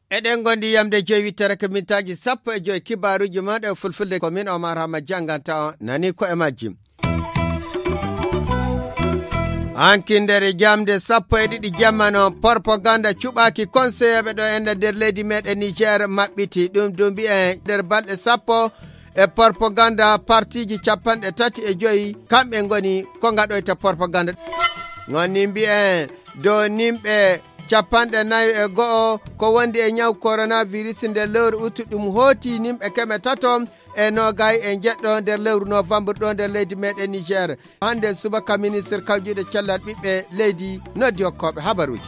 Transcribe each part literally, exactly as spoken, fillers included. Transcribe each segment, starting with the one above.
Eɗen ngondi yamde joyi wittere ko mintaaji sappo e joyi kibaaruuji maaɗa e fulfulde. Ko min Omar Hama jannganta on nani ko e majji. Hanki nder jamde sappo e ɗiɗi jamma noon, propaganda cuɓaaki konseyeeɓe ɗo enɗan nder leydi meɗen Niger maɓɓiti. Ɗum ɗum mbiyen nder balɗe sappo e propaganda partiiji capanɗe tati e joyi, kamɓe ngoni ko ngaɗoyta propaganda. Ngoni mbiyen dow nimɓe capanɗe nayo e go'o ko wondi e ñaw coronavirus nder lewru utu, ɗum hooti nimɓe keme tato e noogay e jeɗɗo nder lewru novembre ɗo nder leydi meɗen Niger. Hande subaka ministre kawjuɗo cellal ɓiɓɓe leydi noddi hokkooɓe habaruuji.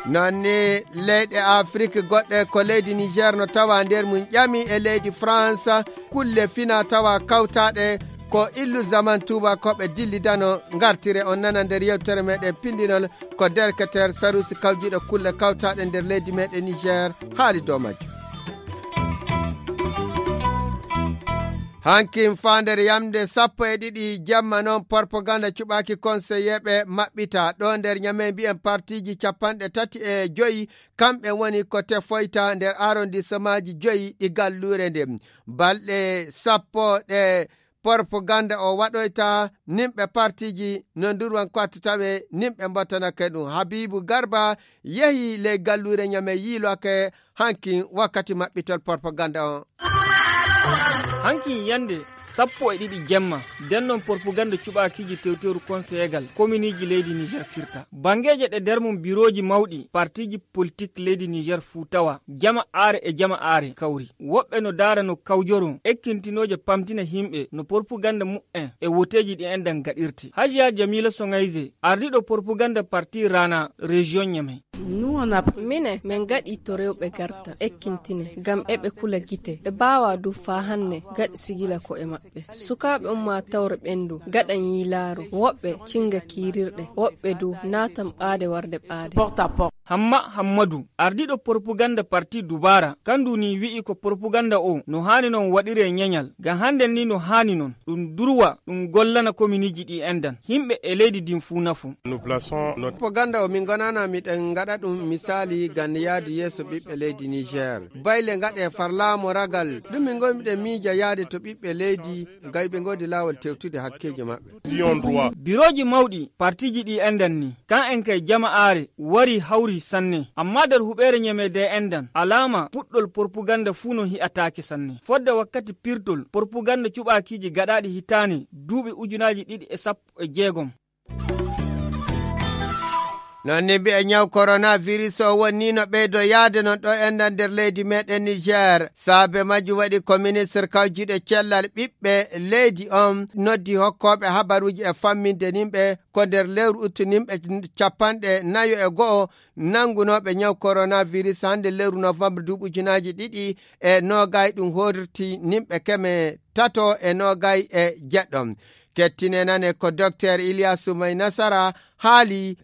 Noon ni leyɗe Afrik goɗɗe ko leydi Niger no tawa nder mum ƴami e leydi France kulle fina tawa kawtaɗe ko illu zaman tuubakooɓe dillidano. Ngartire on nana nder yewtere meɗen pindinol ko derketer Sarusi kawjuɗo kulle kawtaɗe nder leydi meɗen Niger haali dow majjum. Hankin faa nder yamde sappo e ɗiɗi jamma noon, propaganda cuɓaaki konseyeeɓe maɓɓita ɗo nder Ñame mbiyen partiiji capanɗe tati e joyi, kamɓe woni ko tefoyta nder arrondissemaaji joyi ɗi galluure nde. Balɗe sappo ɗe propaganda o waɗoyta, nimɓe partiiji no ndurwan ko atti tawe, nimɓe mbattanake ɗum. Habibu Garba yehi ley galluure Ñame yiiloake hankin wakkati maɓɓitol propaganda on. Hankin yande sappo e ɗiɗi jemma, nden non propaganda cuɓaakiiji tewteeru konseyeegal kominiiji leydi Niger firta. Bangeeje ɗe nder mum birooji mawɗi partiiji politik leydi Niger fuu tawa, jama aare e jama aare kawri. Woɓɓe no daara no kawjoro ekkintinooje pamtina himɓe no propaganda mu'en e woteeji ɗi enɗan gaɗirte. Hajiya Jamila Songayze, ardiiɗo propaganda parti Rana, région Ñame. Minen, min gaɗi to rewɓe garta, ekkintine, ngam eɓe kula gite. Ɓe mbaawa du faa hanne gaɗi sigila ko'e maɓɓe. Sukaaɓe ummaatawre ɓen du gaɗan yiilaaru, woɓɓe cinga kiirirɗe, woɓɓe du naatan ɓaade warde ɓaade. Hamma Hammadu, ardiiɗo propaganda parti Dubaara, kandu ni wi'i ko propaganda o no haani non waɗiree ñeñal, ngam hannden ni no haani non. Ɗum durwa, ɗum gollana kominiiji ɗi enɗan. Himɓe e leydi ndin fuu nafu. Propaganda o min ngonana miɗen ngaɗa ɗum misaali ngam yaadu yeeso ɓiɓɓe leydi Niger. Bayle ngaɗe far laamu ragal, ɗum min ngoni miɗen miija yaade to ɓiɓɓe leydi, ngam ɓe ngoodi laawol tewtude hakkeeji maɓɓe. Birooji mawɗi partiiji ɗi enɗan ni, kan en kay jama aare wari hawri sanne. Amma nder huɓeere Ñame de enɗan, alaama puɗɗol propaganda fuu no hi'ataake sanne. Fodde wakkati pirtol propaganda cuɓaakiiji gaɗaaɗi hitaande duuɓi ujunaaji ɗiɗi e sappo e jeegom. Noon ni mbiya ñaw coronavirus o woni no ɓeydo yaade noon ɗo enɗan nder leydi meɗen Niger. Saabe majjum waɗi ko ministre kawjuɗo cellal ɓiɓɓe leydi on noddi hokkooɓe habaruuji e famminde nimɓe ko nder lewru uttu nimɓe capanɗe nayo e go'o nanngunooɓe ñaw coronavirus hannde lewru novembre duuɓi ujunaaji ɗiɗi e noogay ɗum hoorti nimɓe keme tato e noogay e jeɗɗo. Kettine nane ko Docteur Ilyasu May Nasara haali.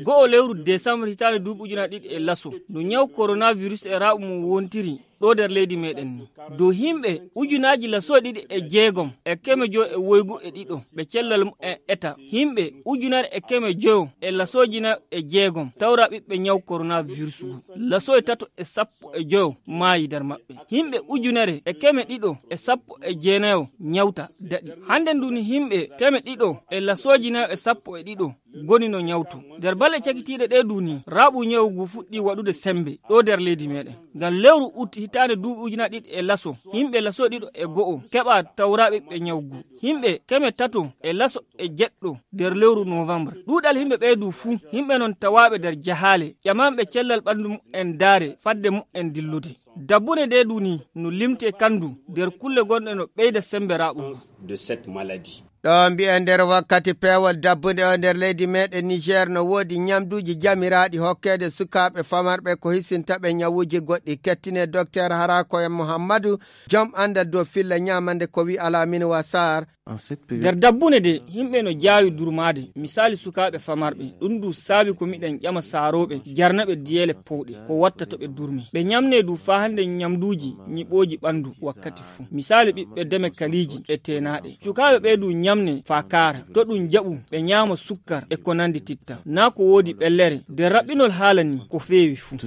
Go'o lewru décembre hitaande duuɓi ujunaaji ɗiɗi e laso, no ñaw coronavirus e raaɓu mum wontiri ɗo nder leydi meɗen ni. Dow himɓe ujunaaji laso ɗiɗi e jeegom e keme joy e woygu e ɗiɗo ɓe cellal mumen eta. Himɓe ujunere e keme joyo e lasooji nayo e jeegom tawra ɓiɓɓe ñaw coronavirus ngu. Laso e tato e sappo e joyo maayi nder maɓɓe. Himɓe ujunere e keme ɗiɗo e sappo e jeenayo ñawta daɗi. Hannde ndu ni himɓe keme ɗiɗo e lasooji nayo e sappo e ɗiɗo ngoni no ñawtu. Nder balɗe cakitiiɗe ɗe ndu ni, raaɓu ñawu ngu fuɗɗi waɗude sembe ɗo nder leydi meɗen. Ngam lewru ut hitaande duuɓi ujunaaji ɗiɗi e laso, himɓe laso ɗiɗo e go'o keɓa tawra ɓiɓɓe ñawu ngu. Himɓe keme tato e laso e jeɗɗo nder lewru novembre. Ɗuuɗal himɓe ɓee du fuu, himɓe non tawaaɓe nder jahaale, ƴamanɓe cellal ɓanndu mumen daare fadde mumen dillude. Dabbune de du ni no limte kandu nder kulle gonɗe no ɓeyda sembe raaɓu ngu. Ɗo mbiyen nder wakkati peewol dabbunde o nder leydi meɗen Niger no woodi ñamduuji jamiraaɗi hokkeede sukaaɓe famarɓe ko hisinta ɓe ñawuuji goɗɗi. Kettine Docteur Harakoya Muhammadu, jom anndal dow filla ñamande ko wi Alamine Wasar. Nder dabbune de, yimɓe no jaawi durmaade, misaali sukaaɓe famarɓe. Ɗum du saabi ko miɗen ƴama saarooɓe, jarna ɓe diyeele powɗe, ko watta to ɓe durmi. Ɓe ñamne du faa hannde ñamduuji ñiɓooji ɓanndu wakkati fuu. Misaali ɓiɓɓe deme kaliiji e teenaaɗe. Sukaaɓe ɓe du ñamne faa kaara, to ɗum jaɓu, ɓe ñaama sukkar e ko nanndi titta. Naa ko woodi ɓellere, de raɓɓinol haala ni ko feewi fuu.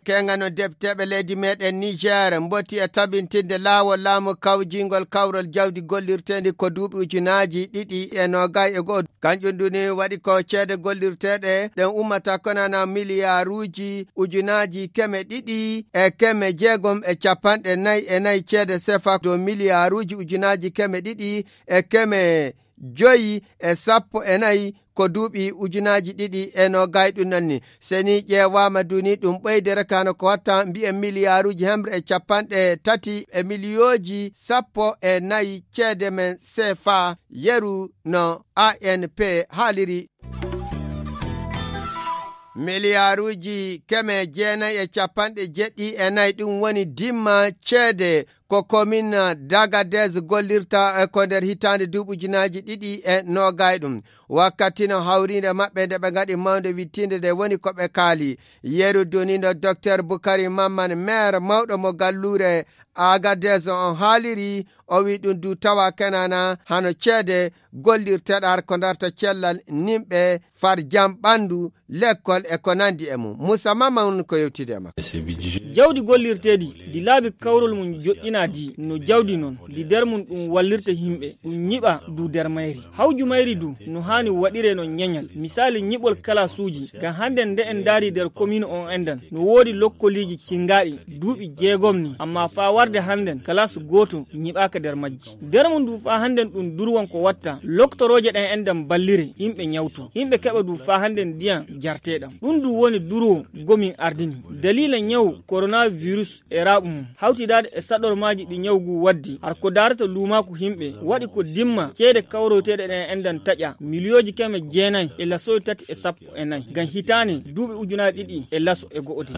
Keŋano depteeɓe leydi meɗen Niger mboti e tabintinde laawol laamu kawjingol kawrol jawdi gollirteendi ko duuɓi ujunaaji ɗiɗi e noogay e go'o. Kanjum duni waɗi ko ceede gollirteeɗe ɗen ummata konana miliyaaruuji ujunaaji keme ɗiɗi e keme jeegom e capanɗe nayi e nayi ceede sefa dow miliyaaruuji ujunaaji keme ɗiɗi e keme joyi e sappo e nayi ko duuɓi ujunaaji ɗiɗi e noogay ɗum nanni. Seni ƴeewaama duni ɗum ɓeyde rekano ko watta mbi'en miliyaaruuji hemre e capanɗe tati e miliyooji sappo e nayi ceede men sefa yeru no A N P haaliri. Miliyaaruuji keme jeenayi e capanɗe jeɗɗi e nayi ɗum woni dimma ceede ko komin Dagadez gollirta e ko nder hitaande duuɓi ujunaaji ɗiɗi e noogay ɗum. Wakkati no hawriinde maɓɓe nde ɓe ngaɗi mawnde wittiinde nde woni ko ɓe kaali. Yeru duni no Docteur Bukari Mamman, maire mawɗo mo galluure Agadez on haaliri, o wi ɗum du tawa kenana hano ceede gollirteɗar ko darta cellal nimɓe far jam ɓandu, lekkol e ko nandi e mum. Musa Mamman ko yewtide e makko. Jawdi gollirteedi, di laabi kawrol mum joɗɗina di, no jawdi non, di der mum ɗum wallirta himɓe, ɗum ñiɓa du der mayri. Hawju mayri du, no haani waɗire no ñeñal. Misaali ñiɓol kalasuuji, ngam hande nde en ndaari der komiin on endan, no woodi lokkoliiji cinngaaɗi, duuɓi jeegom ni, amma faa warde handen, kalas gooto ñiɓaaka der majji. Der mum du faa handen ɗum durwon ko watta, loktorooje ɗen endan ballire, himɓe ñawto. Himɓe keɓa du faa handen ndiyan jarteeɗam. Ɗum du woni durwo gomin ardini. Daliila ñaw koronavirus e raaɓu mum, hawtidaade e saɗormaaji ɗi ñaw gu waddi, har ko daarata luumaaku himɓe, waɗi ko dimma ceede kawroyteeɗe ɗen endan taƴa, miliyooji keme jeenayi e lasoy tati e sappo e nayi, ngam hitaane duuɓi ujunaaji ɗiɗi e laso e go'o de.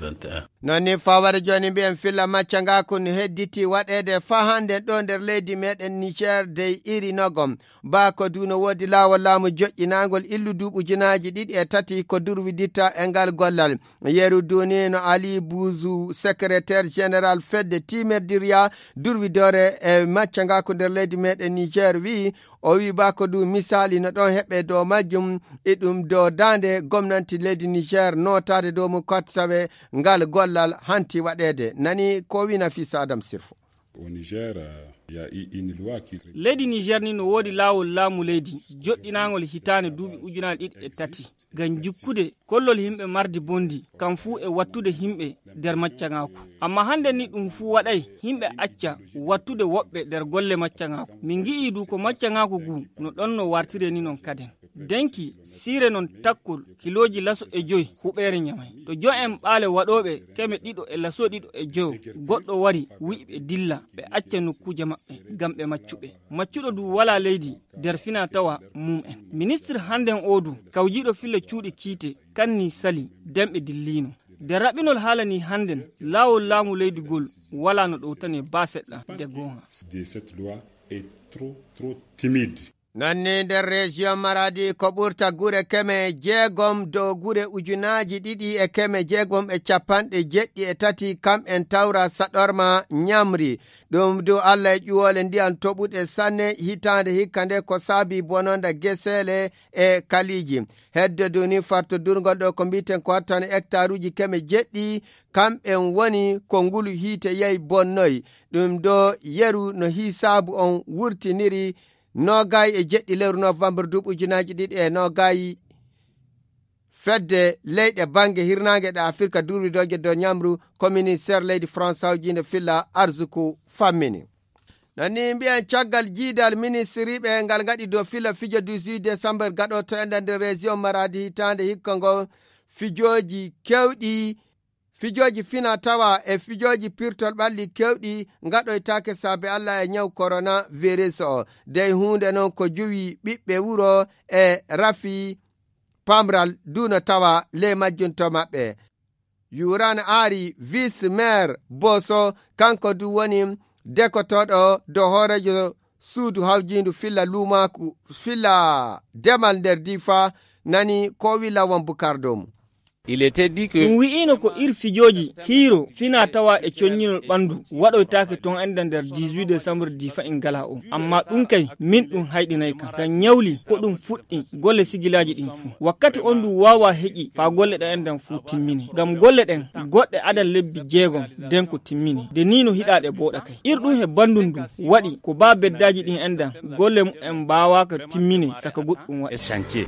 Non ni fawade jooni mbiyen filla macca ngaa kun hedditi waɗeede faa hande ɗo nder leydi meɗen Niger dey iri nogom. Baa ko du no woodi laawol laamu joƴƴinaangol illu duuɓi ujunaaji ɗiɗi e tati ko durwiditta e ngal gollal. Yeru du ni no Ali Buzu, secrétaire général fedde tiimerdirya durwidoore e macca ngaa ko nder leydi meɗen Niger wi'i, o wi'i baa ko du misaali no ɗon heɓe dow majjum, e ɗum dow daande gomnanti leydi Niger nootaade dow mum ko tawe ngal gollal hanti waɗeede. Nani ko wi'i Nafisa Adam Sirfo. Au Niger, euh, il y a une loi qui Leydi Niger ni no woodi laawol laamu leydi joɗɗinaangol hitaande duuɓi ujunaaji ɗiɗi e tati. Ngam jikkude kollol himɓe mardi bondi, kam fuu e wattude himɓe nder maccaŋaaku. Amma hande ni ɗum fuu waɗay, himɓe acca wattude woɓɓe nder golle maccaŋaaku. Min ngi'ii du ko maccaŋaaku gu no ɗon no wartire ni non kaden. Denki, siire non takkol, kilooji laso e joy huɓeere ñamay. To jo'en ɓaale waɗooɓe keme ɗiɗo e laso ɗiɗo e joyo, goɗɗo wari, wi'i ɓe dilla, ɓe acca nokkuuje maɓɓe, ngam ɓe maccuɓe. Maccuɗo du walaa leydi nder fina tawa mum en. Ministir handen oo du, kawjiiɗo filla cuuɗi kiite, kanni sali, denɓe dilliino. Nder raɓɓinol haala ni handen, laawol laamu leydi gol walaa no ɗowtane baa seɗɗa, nde goonga. De cette loi est trop, trop timide. Non ni nder région Maradi ko ɓurta gure keme jeegom dow gure ujunaaji ɗiɗi e keme jeegom e capanɗe jeɗɗi e tati kam en tawra saɗorma ñamri. Ɗum du Allah e ƴuwoole ndiyan toɓuɗe sanne hitaande hikka nde ko saabi bononda geseele e kaliiji. Hedde du ni fartodurngol ɗo ko mbiiten ko hattano hectaruuji keme jeɗɗi, kamɓen woni ko ngulu hiite yahi bonnoyi. Ɗum ɗo yeru no hisaabu on wurtiniri noogay e jeɗɗi lewru novembre duuɓi ujunaaji ɗiɗi e noogay. Fedde leyɗe bannge hirnaange ɗe Afirka durwidooje dow ñamru ko ministeer leydi France hawjiinde filla arsuku fammini. Non ni mbiyen caggal jiidal ministiriiɓe ngal ngaɗi dow filla fijo dix-huit décembre gaɗooto enɗan nder région Maradi hitaande hikka ngo fijooji kewɗi, fijooji fina tawa e fijooji pirtol ɓalli kewɗi ngaɗoytaake saabe Allah e ñaw coronavirus o. Dey huunde non ko juwi ɓiɓɓe wuro e rafi pamral du no tawa ley majjum to maɓɓe. Yuran Ari, vice maire Boso, kanko du woni dekotooɗo dow hooreejo suudu hawjiindu filla luumaaku, filla demal nder Difa, nani ko wi Lawan Bukar Domu. Il était dit que ɗum wi'iino ko ir fijooji hiiro fina tawa e coññinol ɓanndu waɗoytaake toon enda nder dix-huit décembre Difa in ngala o. Amma ɗum kay, min ɗum hayɗinay kam. Ngam ñawli ko ɗum fuɗɗi golle sigilaaji ɗin fuu. Wakkati on ndu waawaa heƴi faa golle ɗen endan fuu timmini. Ngam golle ɗen goɗɗe adan lebbi jeegom den ko timmini. De nii no hiɗaaɗe booɗa kay. Ir ɗum he banndum ndu waɗi ko baa beddaaji ɗin endan golle mumen mbaawaaka timmini saka goɗɗum waɗi.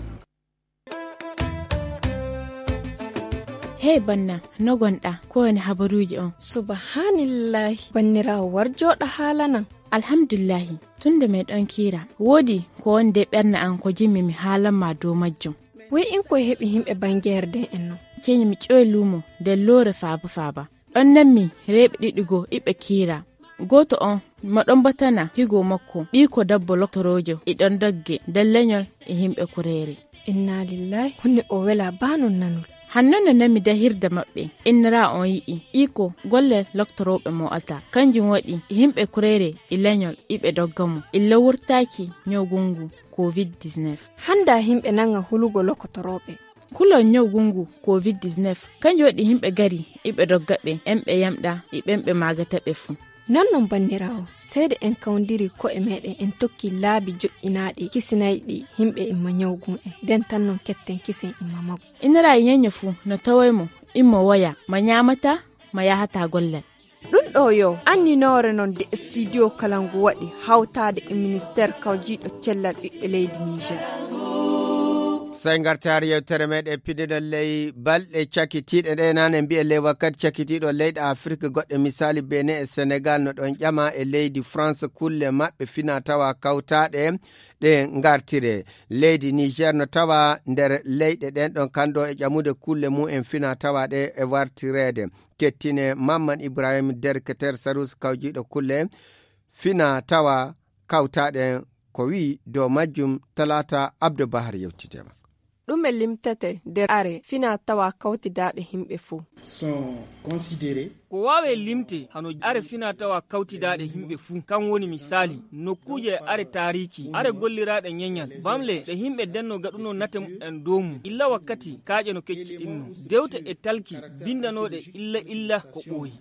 Hey banna, no gonɗa? Ko woni habaruuji on? Subhanallahi, banniraawo war jooɗa haalanan. Alhamdulillahi, tun nde meɗon kiira, woodi ko woni de ɓernde an ko jimmi mi haalan ma dow majjum. Woy in koye heɓi himɓe bangeere den en non? Ceñi mi ƴoy luumo nder loore faaba faaba. Ɗon nanmi reeɓe ɗiɗi goo iɓe kiira. Gooto on mo ɗon batana higo makko, ɓiiko dabbo loktoroojo, e ɗon dogge nder leñol e himɓe kureere. Inna lillahi, honne o wela baa non nanol. Hanno no nami dahirde maɓɓe, innira on yi'i, iko golle loktorooɓe mo alta. Kanjum waɗi, yimɓe kureere e leñol iɓe dogga mo, illa wurtaaki ñawgungu covid dix-neuf. Hannda yimɓe nanga hulugo loktorooɓe. Kulol ñawgungu covid dix-neuf, kanjum waɗi yimɓe gari iɓe dogga ɓe, en ɓe yamɗa, e ɓen ɓe maagata ɓe fuu. Non non banniraawo, seede en kawndiri ko'e meɗen en tokki laabi joƴƴinaaɗi kisinayɗi yimɓe imma ñawgun en, nden tan non ketten kisen imma magu. Inira e ñeño fuu no taway mo, immo woya, ma ñaamata, ma yahata gollal. Ɗum ɗo yo anninoore non de studio kala ngu waɗi hawtaade e ministeer kawjiiɗo cellal ɓiɓɓe leydi Niger. Sey ngartaari yewtere meɗen pinndinol ley balɗe cakitiiɗe ɗe nane mbiye ley wakkati cakitiiɗo leyɗe Afrik goɗɗe misaali Benin e Senegal no ɗon ƴama e leydi France kulle maɓɓe fina tawa kawtaaɗe ɗe ngartire. Leydi Niger no tawa nder leyɗe ɗen ɗon kanndo e ƴamude kulle mum en fina tawa ɗe e wartireede. Kettine Mamman Ibrahim Derketer Sarus kawjiiɗo kulle fina tawa kawtaaɗe ko wi dow majjum Talata Abdou Bahar yewtidema. Ɗume limtete nder are fina tawa kawtidaaɗe yimɓe fuu? Sont considérés. Ko waawe limte hano are fina tawa kawtidaaɗe yimɓe fuu, kan woni misaali, nokkuuje are taariiki, are golliraaɗe ñeñal, bamle ɗe yimɓe denno gaɗuno nate mumen dow mum, illa wakkati kaaƴe no kecciɗinno, dewte e talki bindanooɗe illa illa ko ɓooyi.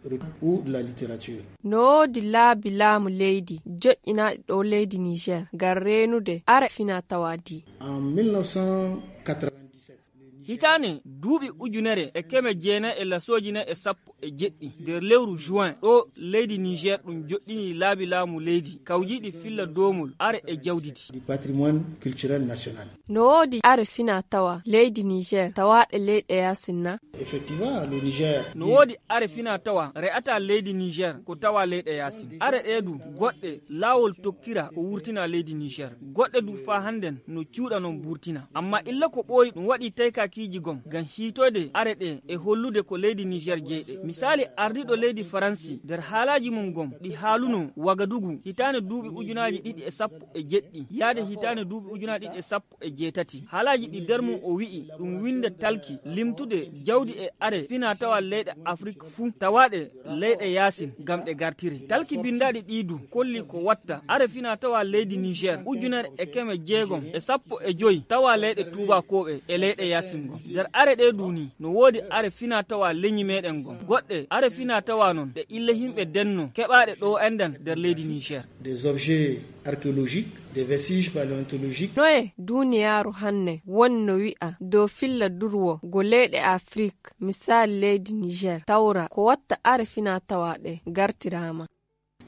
Ou de la littérature. No woodi laabi laamu leydi joƴƴinaaɗi ɗo leydi Niger ngam reenude are fina tawa di. En mille neuf cent quatre-vingt-dix-sept. Hitaane duuɓi ujunere e keme jeenayi e lasooji nayi e sappo e jeɗɗi nder lewru juin ɗo leydi Niger ɗum joɗɗini laabi laamu leydi kawjiiɗi filla doomol are e jawdi di. Du patrimoine culturel national. No woodi are fina tawa leydi Niger tawaaɗe leyɗe yaasin na? Effectivement, le Niger. No woodi are fina tawa re'ata leydi Niger ko tawa leyɗe yaasin. Are ɗe du goɗɗe laawol tokkira ko wurtina leydi Niger. Goɗɗe du faa hannden no cuuɗa non burtina. Amma illa ko ɓooyi ɗum waɗi taykakiiji gom ngam hiitoyde are ɗe e hollude ko leydi Niger jeyɗe. Misaali ardiiɗo leydi Faransi nder haalaaji mum gom ɗi haaluno Wagadugu hitaande duuɓi ujunaaji ɗiɗi e sappo e jeɗɗi yaade hitaande duuɓi ujunaaji ɗiɗi e sappo e jeetati. Haalaaji ɗi nder mum o wi'i ɗum winnde talki limtude jawdi e are fina tawa leyɗe Afrik fuu tawaaɗe leyɗe yaasin ngam ɗe gartire. Talki binndaaɗi ɗi du kolli ko watta are fina tawa leydi Niger ujunere e keme jeegom e sappo e joy tawa leyɗe tuubakooɓe e leyɗe yaasin gom. Nder are ɗe du ni no woodi are fina tawa leñi meɗen gom. Goɗɗe are fina tawa non ɗe illa yimɓe denno keɓaaɗe ɗo endan nder leydi Niger. Des objets archéologiques, des vestiges paléontologiques. Noye duniyaaru hanne woni no wi'a dow filla durwo go leyɗe Afrik, misaali leydi Niger, tawra ko watta are fina tawa ɗe gartiraama.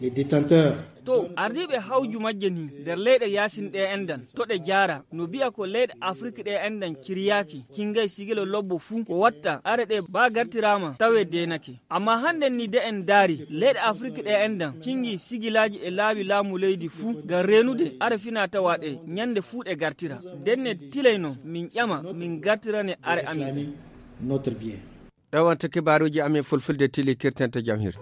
Les détenteurs. To ardiiɓe hawju majje ni nder leyɗe yaasin ɗe endan to ɗe jaara no bi'a ko leyɗe Afrik ɗe endan ciryaaki, cingay sigilo lobbo fuu ko watta are ɗe baa gartiraama tawe deenake. Amma hannden ni de en daari leyɗe Afrik ɗe endan cingi sigilaaji e laawi laamu leydi fuu ngam reenude are fina tawa ɗe ñande fuu ɗe gartira. Denne tilay non min ƴama min gartirane are amin. Notre bien. Ɗo wonta kibaaruuji amin fulfulde tili kirten to jam hirto.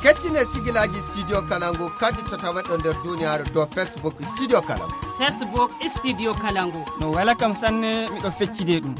Kettine sigilaaji studio kalangu kadi to tawaɗo nder duniyaaru dow Facebook studio kalangu. Facebook studio kalangu. No wela kam sanne miɗo feccide ɗum.